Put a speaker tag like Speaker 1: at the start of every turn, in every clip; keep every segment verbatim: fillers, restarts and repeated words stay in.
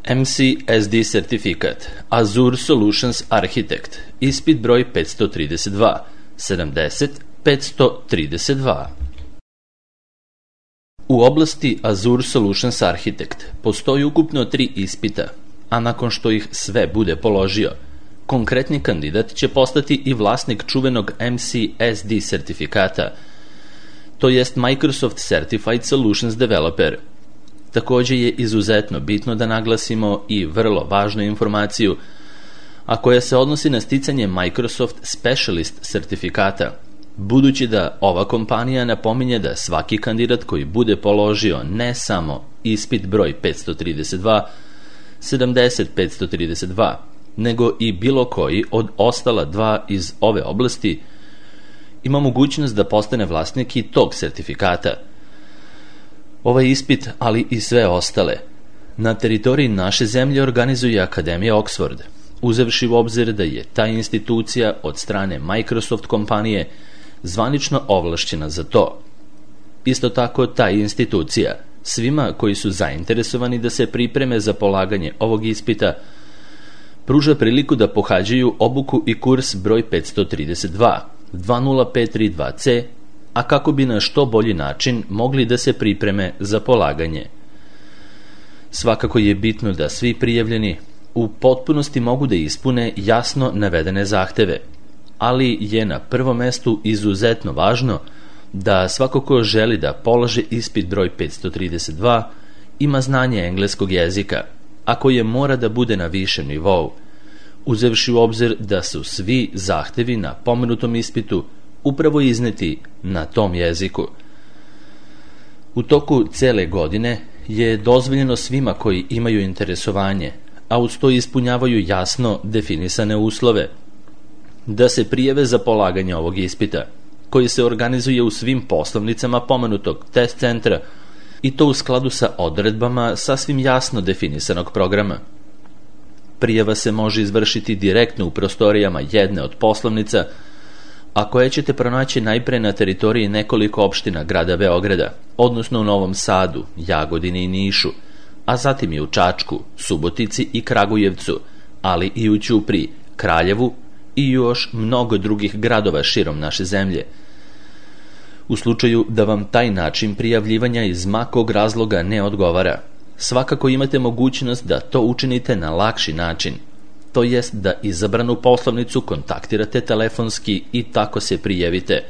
Speaker 1: M C S D sertifikat, Azure Solutions Architect, ispit broj petsto trideset dva, sedamdeset petsto trideset dva. U oblasti Azure Solutions Architect postoji ukupno tri ispita, a nakon što ih sve bude položio, konkretni kandidat će postati i vlasnik čuvenog M C S D sertifikata, to jest Microsoft Certified Solutions Developer. Takođe je izuzetno bitno da naglasimo i vrlo važnu informaciju, a koja se odnosi na sticanje Microsoft Specialist sertifikata, budući da ova kompanija napominje da svaki kandidat koji bude položio ne samo ispit broj petsto trideset dva, sedamdeset petsto trideset dva, nego i bilo koji od ostala dva iz ove oblasti, ima mogućnost da postane vlasnik i tog sertifikata. Ovaj ispit, ali i sve ostale, na teritoriji naše zemlje organizuje Akademija Oxford, uzevši u obzir da je ta institucija od strane Microsoft kompanije zvanično ovlašćena za to. Isto tako, ta institucija svima koji su zainteresovani da se pripreme za polaganje ovog ispita pruža priliku da pohađaju obuku i kurs broj petsto trideset dva, dva nula pet tri dva C, a kako bi na što bolji način mogli da se pripreme za polaganje. Svakako je bitno da svi prijavljeni u potpunosti mogu da ispune jasno navedene zahteve, ali je na prvom mestu izuzetno važno da svako ko želi da položi ispit broj petsto trideset dva ima znanje engleskog jezika, a koje mora da bude na višem nivou, uzevši u obzir da su svi zahtevi na pomenutom ispitu upravo izneti na tom jeziku. U toku cele godine je dozvoljeno svima koji imaju interesovanje, a uz to ispunjavaju jasno definisane uslove, da se prijave za polaganje ovog ispita, koji se organizuje u svim poslovnicama pomenutog test centra, i to u skladu sa odredbama sasvim jasno definisanog programa. Prijava se može izvršiti direktno u prostorijama jedne od poslovnica, a koje ćete pronaći najpre na teritoriji nekoliko opština grada Beograda, odnosno u Novom Sadu, Jagodini i Nišu, a zatim i u Čačku, Subotici i Kragujevcu, ali i u Ćupriji, Kraljevu i još mnogo drugih gradova širom naše zemlje. U slučaju da vam taj način prijavljivanja iz ma kog razloga ne odgovara, svakako imate mogućnost da to učinite na lakši način, to jest da izabranu poslovnicu kontaktirate telefonski i tako se prijavite,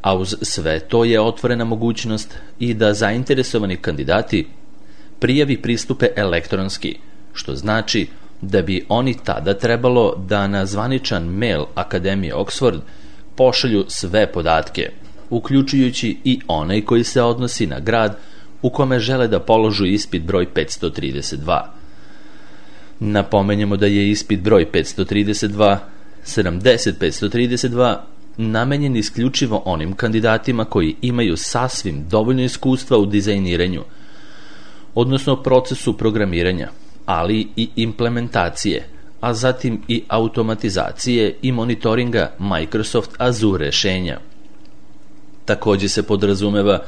Speaker 1: a uz sve to je otvorena mogućnost i da zainteresovani kandidati prijavi pristupe elektronski, što znači da bi oni tada trebalo da na zvaničan mail Akademije Oxford pošalju sve podatke, uključujući i onaj koji se odnosi na grad u kome žele da položu ispit broj petsto trideset dva. Napomenjemo da je ispit broj petsto trideset dva, sedamdeset petsto trideset dva namenjen isključivo onim kandidatima koji imaju sasvim dovoljno iskustva u dizajniranju, odnosno procesu programiranja, ali i implementacije, a zatim i automatizacije i monitoringa Microsoft Azure rešenja. Takođe se podrazumeva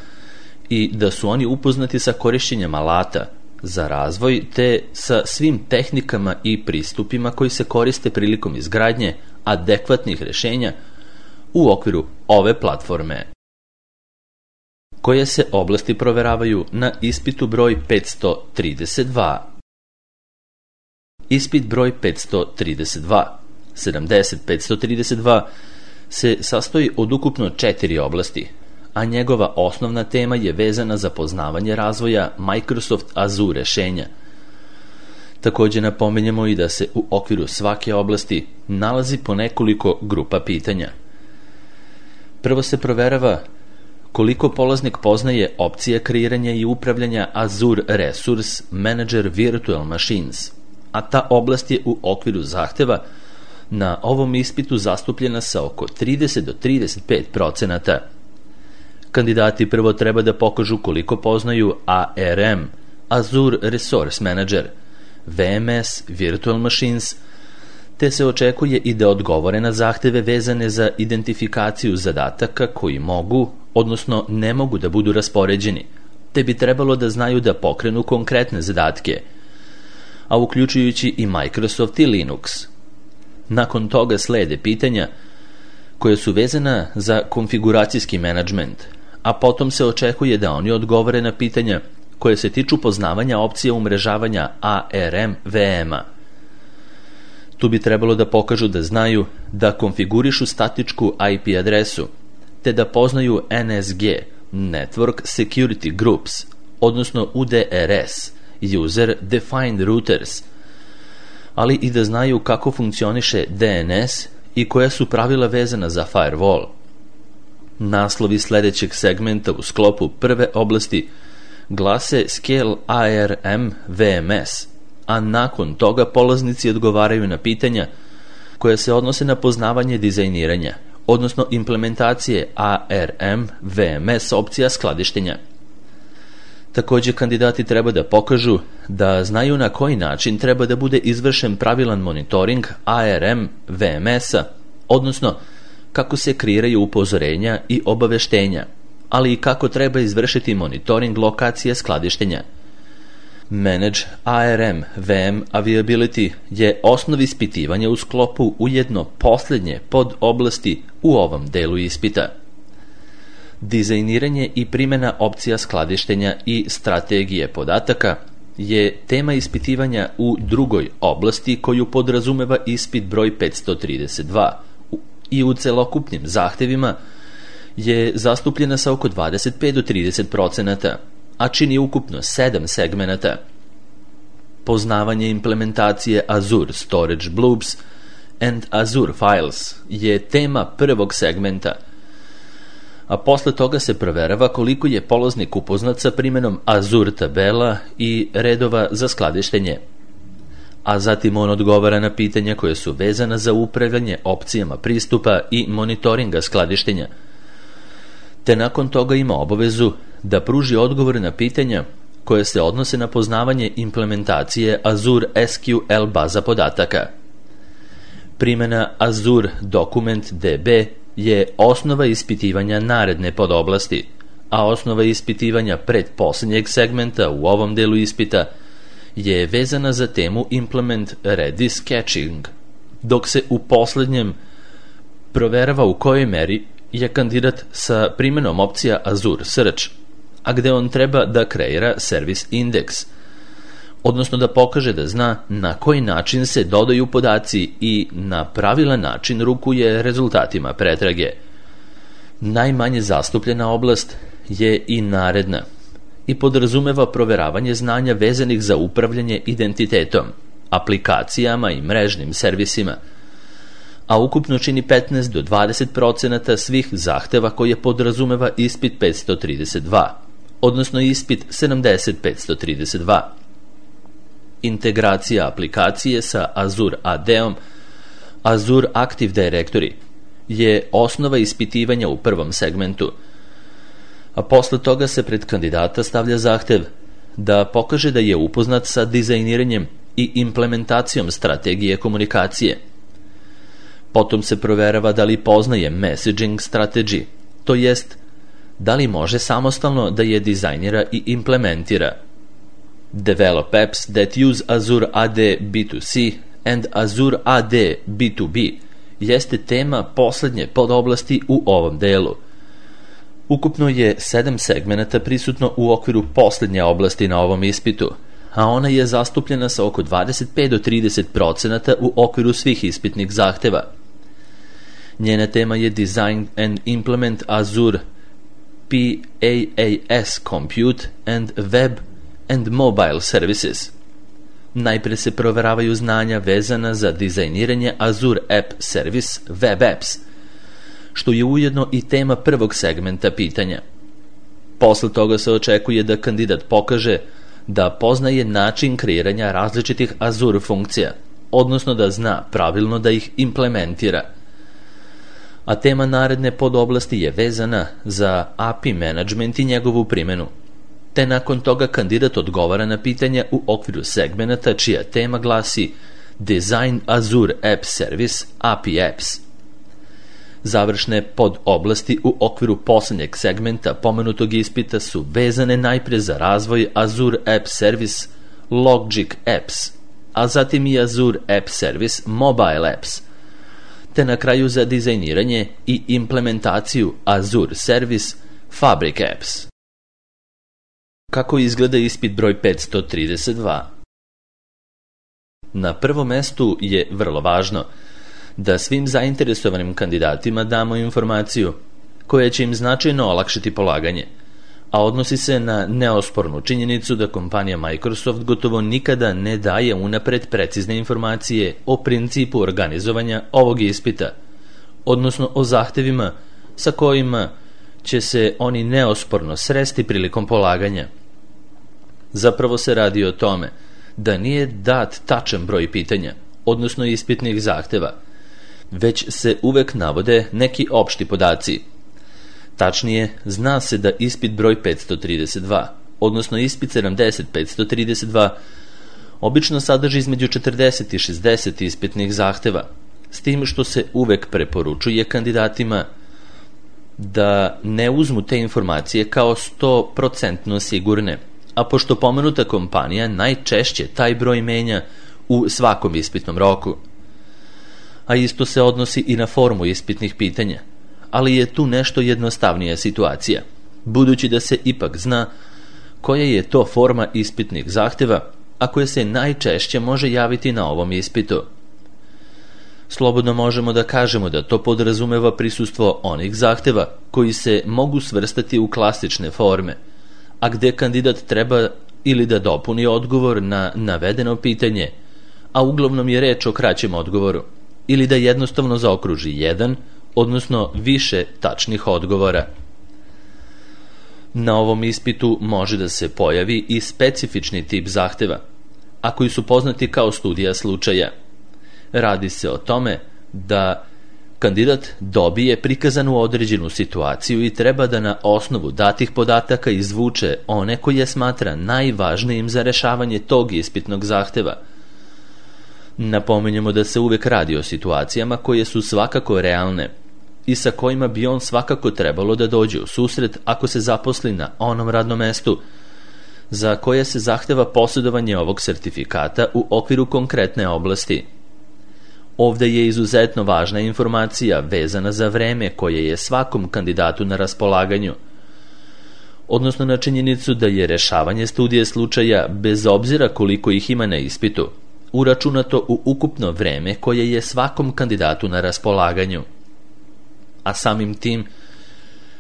Speaker 1: i da su oni upoznati sa korišćenjem alata za razvoj te sa svim tehnikama i pristupima koji se koriste prilikom izgradnje adekvatnih rešenja u okviru ove platforme, koje se oblasti proveravaju na ispitu broj petsto trideset dva. Ispit broj petsto trideset dva, sedamdeset petsto trideset dva se sastoji od ukupno četiri oblasti, a njegova osnovna tema je vezana za poznavanje razvoja Microsoft Azure rešenja. Takođe napominjemo i da se u okviru svake oblasti nalazi po nekoliko grupa pitanja. Prvo se proverava koliko polaznik poznaje opcije kreiranja i upravljanja Azure Resource Manager Virtual Machines, a ta oblast je u okviru zahteva na ovom ispitu zastupljena sa oko trideset do trideset pet procenata. Kandidati prvo treba da pokažu koliko poznaju A R M, Azure Resource Manager, V M S, Virtual Machines, te se očekuje i da odgovore na zahteve vezane za identifikaciju zadataka koji mogu, odnosno ne mogu da budu raspoređeni, te bi trebalo da znaju da pokrenu konkretne zadatke. a uključujući i Microsoft i Linux. Nakon toga slede pitanja koja su vezana za konfiguracijski menadžment, a potom se očekuje da oni odgovore na pitanja koje se tiču poznavanja opcija umrežavanja A R M V M-a. Tu bi trebalo da pokažu da znaju da konfigurišu statičku I P adresu, te da poznaju N S G, Network Security Groups, odnosno U D R S, User Defined Routers, ali i da znaju kako funkcioniše D N S i koja su pravila vezana za firewall. Naslovi sledećeg segmenta u sklopu prve oblasti glase Scale A R M V M S, a nakon toga polaznici odgovaraju na pitanja koja se odnose na poznavanje dizajniranja, odnosno implementacije A R M V M S opcija skladištenja. Takođe, kandidati treba da pokažu da znaju na koji način treba da bude izvršen pravilan monitoring A R M V M S-a, odnosno kako se kreiraju upozorenja i obaveštenja, ali i kako treba izvršiti monitoring lokacije skladištenja. Manage A R M V M Availability je osnov ispitivanja u sklopu ujedno poslednje pod oblasti u ovom delu ispita. Dizajniranje i primjena opcija skladištenja i strategije podataka je tema ispitivanja u drugoj oblasti koju podrazumeva ispit broj petsto trideset dva i u celokupnim zahtevima je zastupljena sa oko dvadeset pet do trideset procenata, a čini ukupno sedam segmenata. Poznavanje implementacije Azure Storage Blobs and Azure Files je tema prvog segmenta, a posle toga se proverava koliko je polaznik upoznat sa primjenom Azure tabela i redova za skladištenje, a zatim on odgovara na pitanja koje su vezana za upravljanje opcijama pristupa i monitoringa skladištenja, te nakon toga ima obavezu da pruži odgovor na pitanja koje se odnose na poznavanje implementacije Azure S Q L baza podataka. Primjena Azure Document D B je osnova ispitivanja naredne podoblasti, a osnova ispitivanja pretposlednjeg segmenta u ovom delu ispita je vezana za temu Implement Redis Caching, dok se u poslednjem proverava u kojoj meri je kandidat sa primjenom opcija Azure Search, a gde on treba da kreira Service Index, odnosno da pokaže da zna na koji način se dodaju podaci i na pravilan način rukuje rezultatima pretrage. Najmanje zastupljena oblast je i naredna i podrazumeva proveravanje znanja vezanih za upravljanje identitetom, aplikacijama i mrežnim servisima, a ukupno čini petnaest do dvadeset procenata svih zahteva koje podrazumeva ispit petsto trideset dva, odnosno ispit sedamdeset petsto trideset dva. Integracija aplikacije sa Azure A D-om, Azure Active Directory, je osnova ispitivanja u prvom segmentu, a posle toga se pred kandidata stavlja zahtev da pokaže da je upoznat sa dizajniranjem i implementacijom strategije komunikacije. Potom se proverava da li poznaje messaging strategy, to jest da li može samostalno da je dizajnira i implementira. Develop apps that use Azure A D B two C and Azure A D B two B jeste tema poslednje podoblasti u ovom delu. Ukupno je sedam segmenata prisutno u okviru poslednje oblasti na ovom ispitu, a ona je zastupljena sa oko dvadeset pet do trideset procenata u okviru svih ispitnih zahteva. Njena tema je Design and Implement Azure P A A S Compute and Web and Mobile Services. Najpre se proveravaju znanja vezana za dizajniranje Azure App Service Web Apps, što je ujedno i tema prvog segmenta pitanja. Posle toga se očekuje da kandidat pokaže da poznaje način kreiranja različitih Azure funkcija, odnosno da zna pravilno da ih implementira. A tema naredne podoblasti je vezana za A P I management i njegovu primjenu, te nakon toga kandidat odgovara na pitanja u okviru segmenata čija tema glasi Design Azure App Service A P I Apps. Završne podoblasti u okviru poslednjeg segmenta pomenutog ispita su vezane najpre za razvoj Azure App Service Logic Apps a zatim i Azure App Service Mobile Apps, te na kraju za dizajniranje i implementaciju Azure Service Fabric Apps. Kako izgleda ispit broj petsto trideset dva? Na prvom mestu je vrlo važno da svim zainteresovanim kandidatima damo informaciju koja će im značajno olakšati polaganje, a odnosi se na neospornu činjenicu da kompanija Microsoft gotovo nikada ne daje unapred precizne informacije o principu organizovanja ovog ispita, odnosno o zahtevima sa kojima će se oni neosporno sresti prilikom polaganja. Zapravo se radi o tome da nije dat tačan broj pitanja, odnosno ispitnih zahteva, već se uvek navode neki opšti podaci. Tačnije, zna se da ispit broj petsto trideset dva, odnosno ispit sedamdeset petsto trideset dva, obično sadrži između četrdeset i šezdeset ispitnih zahteva, s tim što se uvek preporučuje kandidatima da ne uzmu te informacije kao sto posto sigurne, a pošto pomenuta kompanija najčešće taj broj menja u svakom ispitnom roku. A isto se odnosi i na formu ispitnih pitanja, ali je tu nešto jednostavnija situacija, budući da se ipak zna koja je to forma ispitnih zahteva, a koja se najčešće može javiti na ovom ispitu. Slobodno možemo da kažemo da to podrazumeva prisustvo onih zahteva koji se mogu svrstati u klasične forme, a gde kandidat treba ili da dopuni odgovor na navedeno pitanje, a uglavnom je reč o kraćem odgovoru, ili da jednostavno zaokruži jedan, odnosno više tačnih odgovora. Na ovom ispitu može da se pojavi i specifični tip zahteva, a koji su poznati kao studija slučaja. Radi se o tome da kandidat dobije prikazanu određenu situaciju i treba da na osnovu datih podataka izvuče one koje smatra najvažnijim za rešavanje tog ispitnog zahteva. Napominjemo da se uvek radi o situacijama koje su svakako realne i sa kojima bi on svakako trebalo da dođe u susret ako se zaposli na onom radnom mestu za koje se zahteva posjedovanje ovog sertifikata u okviru konkretne oblasti. Ovde je izuzetno važna informacija vezana za vreme koje je svakom kandidatu na raspolaganju, odnosno na činjenicu da je rešavanje studije slučaja, bez obzira koliko ih ima na ispitu, uračunato u ukupno vreme koje je svakom kandidatu na raspolaganju. A samim tim,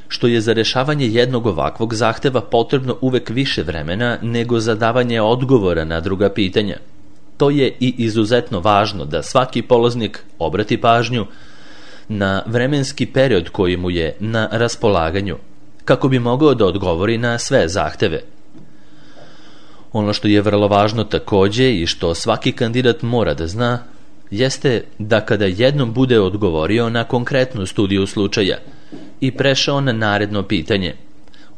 Speaker 1: što je za rešavanje jednog ovakvog zahteva potrebno uvek više vremena nego za davanje odgovora na druga pitanja. To je i izuzetno važno da svaki polaznik obrati pažnju na vremenski period koji mu je na raspolaganju, kako bi mogao da odgovori na sve zahteve. Ono što je vrlo važno takođe i što svaki kandidat mora da zna, jeste da kada jednom bude odgovorio na konkretnu studiju slučaja i prešao na naredno pitanje,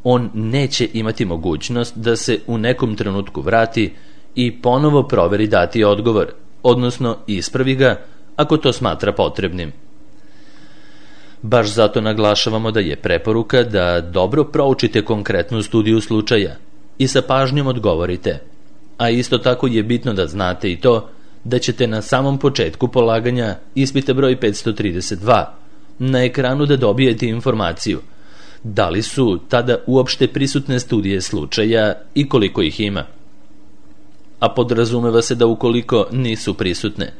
Speaker 1: on neće imati mogućnost da se u nekom trenutku vrati i ponovo proveri dati odgovor, odnosno ispravi ga ako to smatra potrebnim. Baš zato naglašavamo da je preporuka da dobro proučite konkretnu studiju slučaja i sa pažnjom odgovorite, a isto tako je bitno da znate i to da ćete na samom početku polaganja ispita broj petsto trideset dva na ekranu da dobijete informaciju da li su tada uopšte prisutne studije slučaja i koliko ih ima. A podrazumeva se da ukoliko nisu prisutne,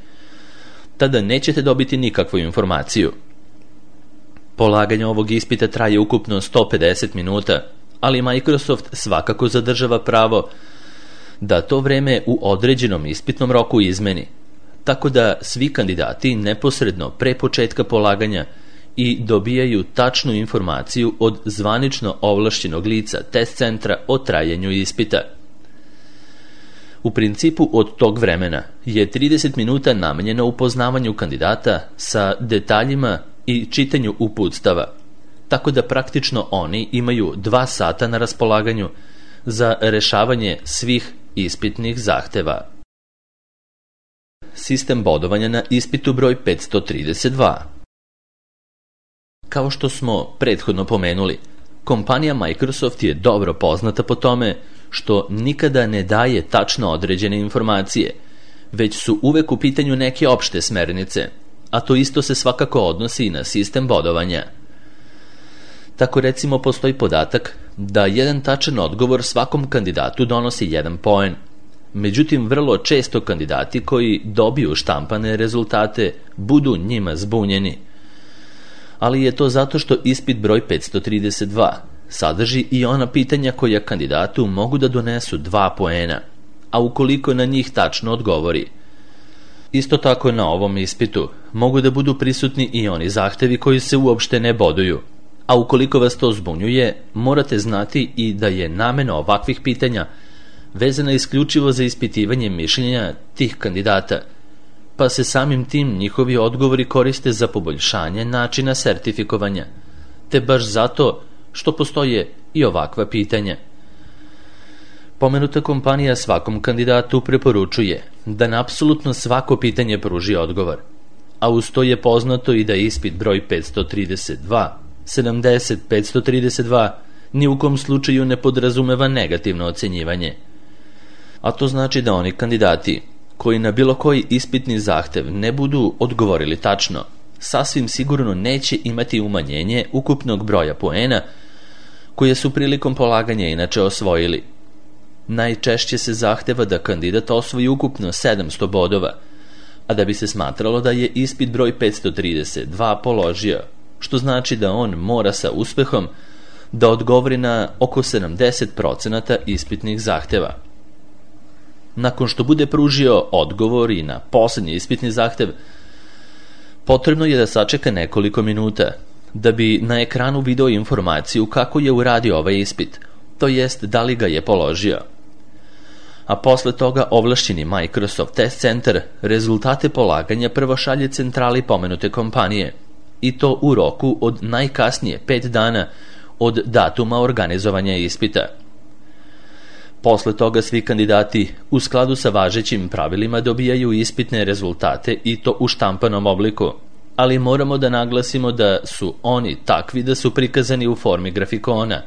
Speaker 1: tada nećete dobiti nikakvu informaciju. Polaganje ovog ispita traje ukupno sto pedeset minuta, ali Microsoft svakako zadržava pravo da to vreme u određenom ispitnom roku izmeni, tako da svi kandidati neposredno pre početka polaganja i dobijaju tačnu informaciju od zvanično ovlašćenog lica test centra o trajanju ispita. U principu od tog vremena je trideset minuta namenjeno upoznavanju kandidata sa detaljima i čitanju uputstava, tako da praktično oni imaju dva sata na raspolaganju za rešavanje svih ispitnih zahteva. Sistem bodovanja na ispitu broj petsto trideset dva. Kao što smo prethodno pomenuli, kompanija Microsoft je dobro poznata po tome što nikada ne daje tačno određene informacije, već su uvek u pitanju neke opšte smernice, a to isto se svakako odnosi i na sistem bodovanja. Tako recimo postoji podatak da jedan tačan odgovor svakom kandidatu donosi jedan poen. Međutim, vrlo često kandidati koji dobiju štampane rezultate budu njima zbunjeni. Ali je to zato što ispit broj petsto trideset dva sadrži i ona pitanja koja kandidatu mogu da donesu dva poena, a ukoliko na njih tačno odgovori. Isto tako na ovom ispitu mogu da budu prisutni i oni zahtevi koji se uopšte ne boduju, a ukoliko vas to zbunjuje, morate znati i da je namena ovakvih pitanja vezana isključivo za ispitivanje mišljenja tih kandidata, pa se samim tim njihovi odgovori koriste za poboljšanje načina sertifikovanja, te baš zato što postoje i ovakva pitanja. Pomenuta kompanija svakom kandidatu preporučuje da na apsolutno svako pitanje pruži odgovor, a uz to je poznato i da ispit broj petsto trideset dva, sedamdeset, petsto trideset dva ni u kom slučaju ne podrazumeva negativno ocenjivanje. A to znači da oni kandidati koji na bilo koji ispitni zahtev ne budu odgovorili tačno, sasvim sigurno neće imati umanjenje ukupnog broja poena koje su prilikom polaganja inače osvojili. Najčešće se zahteva da kandidat osvoji ukupno sedamsto bodova, a da bi se smatralo da je ispit broj petsto trideset dva položio, što znači da on mora sa uspehom da odgovori na oko sedamdeset procenata ispitnih zahteva. Nakon što bude pružio odgovor i na poslednji ispitni zahtev, potrebno je da sačeka nekoliko minuta, da bi na ekranu video informaciju kako je uradio ovaj ispit, to jest da li ga je položio. A posle toga ovlašćeni Microsoft Test Center rezultate polaganja prvo šalje centrali pomenute kompanije, i to u roku od najkasnije pet dana od datuma organizovanja ispita. Posle toga svi kandidati u skladu sa važećim pravilima dobijaju ispitne rezultate i to u štampanom obliku, ali moramo da naglasimo da su oni takvi da su prikazani u formi grafikona,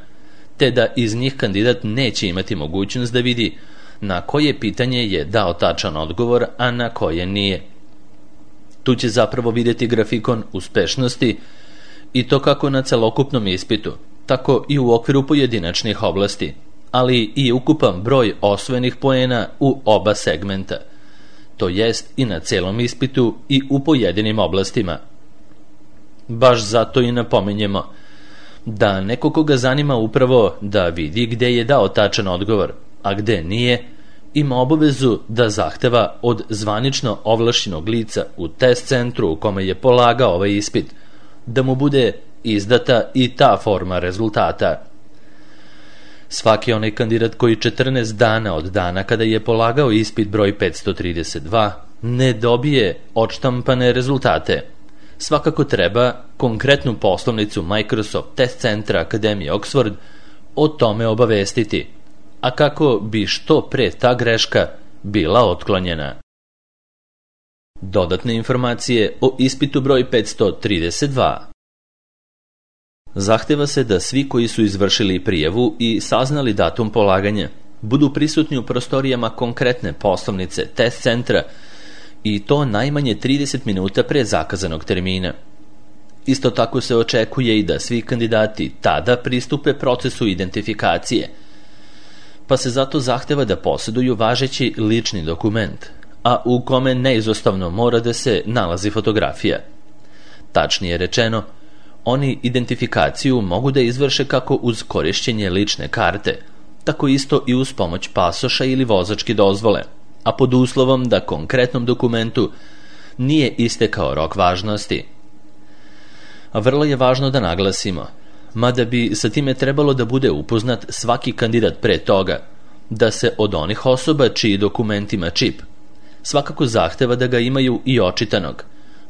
Speaker 1: te da iz njih kandidat neće imati mogućnost da vidi na koje pitanje je dao tačan odgovor, a na koje nije. Tu će zapravo vidjeti grafikon uspešnosti i to kako na celokupnom ispitu, tako i u okviru pojedinačnih oblasti, ali i ukupan broj osvojenih poena u oba segmenta, to jest i na celom ispitu i u pojedinim oblastima. Baš zato i napominjemo da neko koga zanima upravo da vidi gde je dao tačan odgovor, a gde nije, ima obavezu da zahteva od zvanično ovlašćenog lica u test centru u kome je polagao ovaj ispit, da mu bude izdata i ta forma rezultata. Svaki onaj kandidat koji četrnaest dana od dana kada je polagao ispit broj petsto trideset dva ne dobije odštampane rezultate, svakako treba konkretnu poslovnicu Microsoft Test Centra Akademije Oxford o tome obavestiti, a kako bi što pre ta greška bila otklonjena. Dodatne informacije o ispitu broj petsto trideset dva. Zahteva se da svi koji su izvršili prijavu i saznali datum polaganja budu prisutni u prostorijama konkretne poslovnice test centra i to najmanje trideset minuta pre zakazanog termina. Isto tako se očekuje i da svi kandidati tada pristupe procesu identifikacije, pa se zato zahteva da posjeduju važeći lični dokument, a u kome neizostavno mora da se nalazi fotografija. Tačnije rečeno, oni identifikaciju mogu da izvrše kako uz korišćenje lične karte, tako isto i uz pomoć pasoša ili vozačke dozvole, a pod uslovom da konkretnom dokumentu nije istekao rok važnosti. A vrlo je važno da naglasimo, mada bi sa time trebalo da bude upoznat svaki kandidat pre toga, da se od onih osoba čiji dokument ima čip svakako zahteva da ga imaju i očitanog,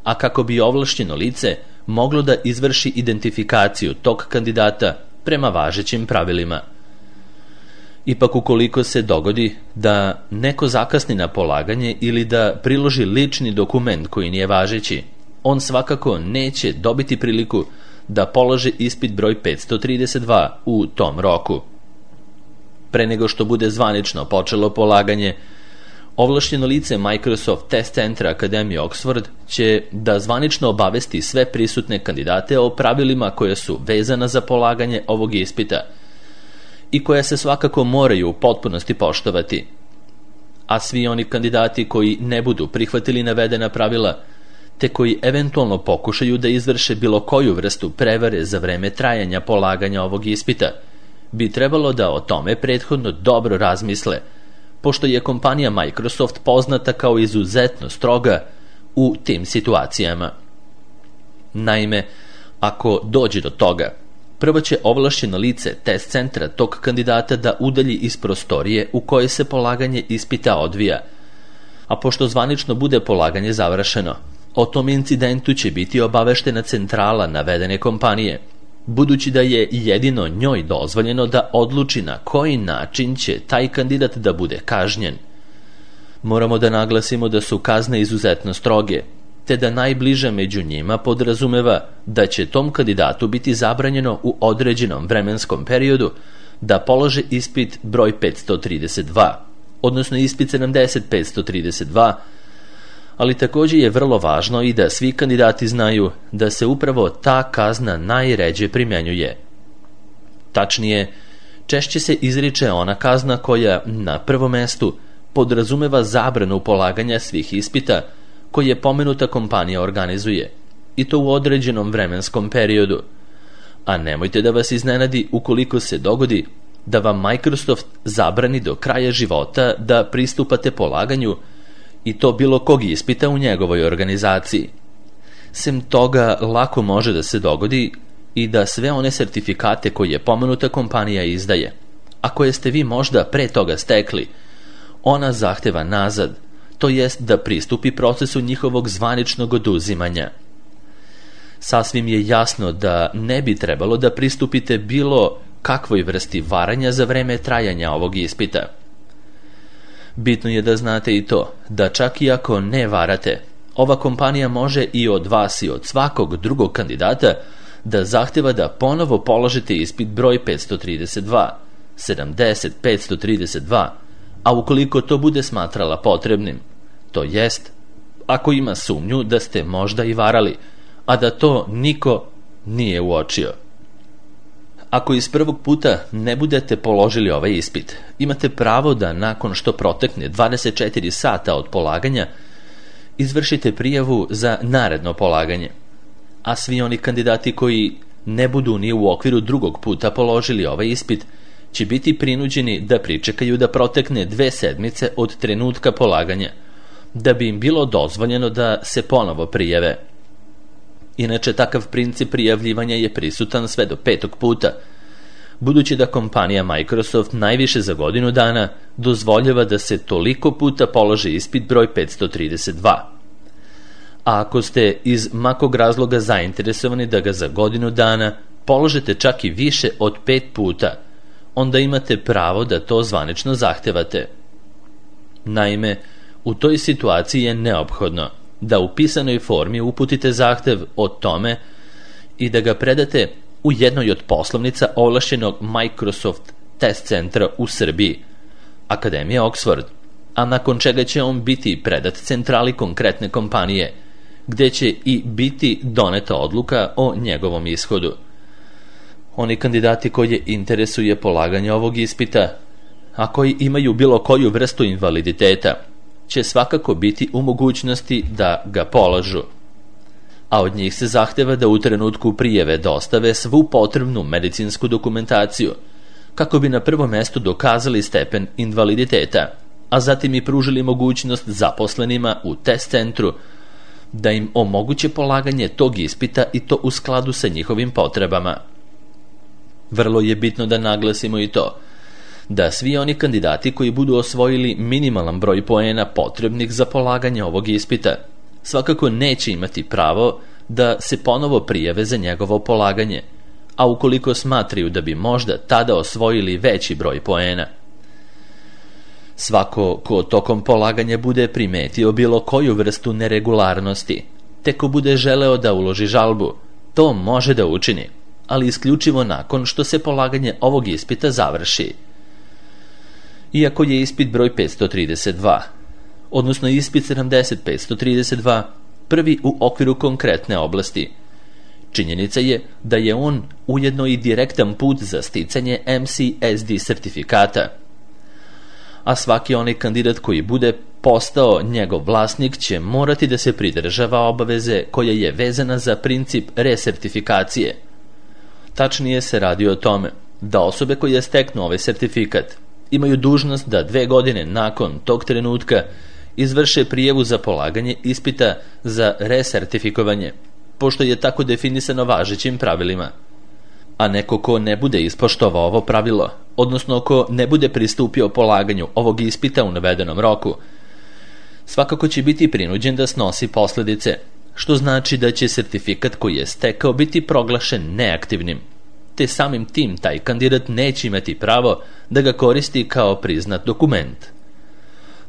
Speaker 1: a kako bi ovlašćeno lice moglo da izvrši identifikaciju tog kandidata prema važećim pravilima. Ipak ukoliko se dogodi da neko zakasni na polaganje ili da priloži lični dokument koji nije važeći, on svakako neće dobiti priliku da položi ispit broj petsto trideset dva u tom roku. Pre nego što bude zvanično počelo polaganje, ovlašćeno lice Microsoft Test Centra Akademije Oxford će da zvanično obavesti sve prisutne kandidate o pravilima koja su vezana za polaganje ovog ispita i koja se svakako moraju u potpunosti poštovati. A svi oni kandidati koji ne budu prihvatili navedena pravila, te koji eventualno pokušaju da izvrše bilo koju vrstu prevare za vreme trajanja polaganja ovog ispita, bi trebalo da o tome prethodno dobro razmisle, pošto je kompanija Microsoft poznata kao izuzetno stroga u tim situacijama. Naime, ako dođe do toga, prvo će ovlašćeno lice test centra tog kandidata da udalji iz prostorije u kojoj se polaganje ispita odvija, a pošto zvanično bude polaganje završeno, o tom incidentu će biti obaveštena centrala navedene kompanije, budući da je jedino njoj dozvoljeno da odluči na koji način će taj kandidat da bude kažnjen. Moramo da naglasimo da su kazne izuzetno stroge, te da najbliža među njima podrazumeva da će tom kandidatu biti zabranjeno u određenom vremenskom periodu da polože ispit broj petsto trideset dva, odnosno ispit sedamdeset petsto trideset dva, ali također je vrlo važno i da svi kandidati znaju da se upravo ta kazna najređe primjenjuje. Tačnije, češće se izriče ona kazna koja, na prvom mestu, podrazumeva zabranu polaganja svih ispita koje pomenuta kompanija organizuje, i to u određenom vremenskom periodu. A nemojte da vas iznenadi ukoliko se dogodi da vam Microsoft zabrani do kraja života da pristupate polaganju i to bilo kog ispita u njegovoj organizaciji. Sem toga, lako može da se dogodi i da sve one sertifikate koje pomenuta kompanija izdaje, a koje ste vi možda pre toga stekli, ona zahteva nazad, to jest da pristupi procesu njihovog zvaničnog oduzimanja. Sasvim je jasno da ne bi trebalo da pristupite bilo kakvoj vrsti varanja za vreme trajanja ovog ispita. Bitno je da znate i to, da čak i ako ne varate, ova kompanija može i od vas i od svakog drugog kandidata da zahteva da ponovo položite ispit broj petsto trideset dva, sedamdeset petsto trideset dva, a ukoliko to bude smatrala potrebnim, to jest, ako ima sumnju da ste možda i varali, a da to niko nije uočio. Ako iz prvog puta ne budete položili ovaj ispit, imate pravo da nakon što protekne dvadeset četiri sata od polaganja, izvršite prijavu za naredno polaganje, a svi oni kandidati koji ne budu ni u okviru drugog puta položili ovaj ispit, će biti prinuđeni da pričekaju da protekne dve sedmice od trenutka polaganja, da bi im bilo dozvoljeno da se ponovo prijave. Inače, takav princip prijavljivanja je prisutan sve do petog puta, budući da kompanija Microsoft najviše za godinu dana dozvoljava da se toliko puta položi ispit broj petsto trideset dva. A ako ste iz makog razloga zainteresovani da ga za godinu dana položite čak i više od pet puta, onda imate pravo da to zvanično zahtevate. Naime, u toj situaciji je neophodno da u pisanoj formi uputite zahtev o tome i da ga predate u jednoj od poslovnica ovlašćenog Microsoft Test Centra u Srbiji, Akademija Oxford, a nakon čega će on biti predat centrali konkretne kompanije, gde će i biti doneta odluka o njegovom ishodu. Oni kandidati koje interesuje polaganje ovog ispita, a koji imaju bilo koju vrstu invaliditeta, će svakako biti u mogućnosti da ga polažu. A od njih se zahteva da u trenutku prijave dostave svu potrebnu medicinsku dokumentaciju, kako bi na prvom mestu dokazali stepen invaliditeta, a zatim i pružili mogućnost zaposlenima u test centru da im omoguće polaganje tog ispita i to u skladu sa njihovim potrebama. Vrlo je bitno da naglasimo i to, da svi oni kandidati koji budu osvojili minimalan broj poena potrebnih za polaganje ovog ispita, svakako neće imati pravo da se ponovo prijave za njegovo polaganje, a ukoliko smatraju da bi možda tada osvojili veći broj poena. Svako ko tokom polaganja bude primetio bilo koju vrstu neregularnosti, te ko bude želeo da uloži žalbu, to može da učini, ali isključivo nakon što se polaganje ovog ispita završi. Iako je ispit broj petsto trideset dva odnosno ispit sedamdeset petsto trideset dva, prvi u okviru konkretne oblasti. Činjenica je da je on ujedno i direktan put za sticanje M C S D sertifikata. A svaki onaj kandidat koji bude postao njegov vlasnik će morati da se pridržava obaveze koja je vezana za princip resertifikacije. Tačnije se radi o tome da osobe koje steknu ovaj sertifikat imaju dužnost da dve godine nakon tog trenutka izvrše prijavu za polaganje ispita za resertifikovanje, pošto je tako definisano važećim pravilima. A neko ko ne bude ispoštovao ovo pravilo, odnosno ko ne bude pristupio polaganju ovog ispita u navedenom roku, svakako će biti prinuđen da snosi posledice, što znači da će sertifikat koji je stekao biti proglašen neaktivnim, te samim tim taj kandidat neće imati pravo da ga koristi kao priznat dokument.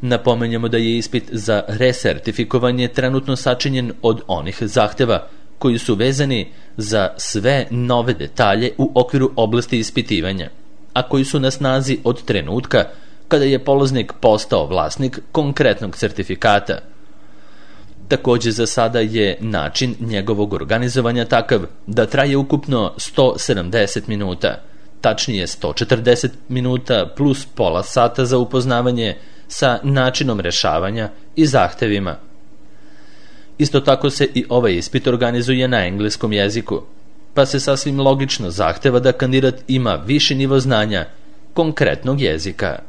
Speaker 1: Napomenjamo da je ispit za resertifikovanje trenutno sačinjen od onih zahteva koji su vezani za sve nove detalje u okviru oblasti ispitivanja, a koji su na snazi od trenutka kada je polaznik postao vlasnik konkretnog sertifikata. Takođe, za sada je način njegovog organizovanja takav da traje ukupno sto sedamdeset minuta, tačnije sto četrdeset minuta plus pola sata za upoznavanje sa načinom rešavanja i zahtevima. Isto tako se i ovaj ispit organizuje na engleskom jeziku, pa se sasvim logično zahteva da kandidat ima viši nivo znanja konkretnog jezika.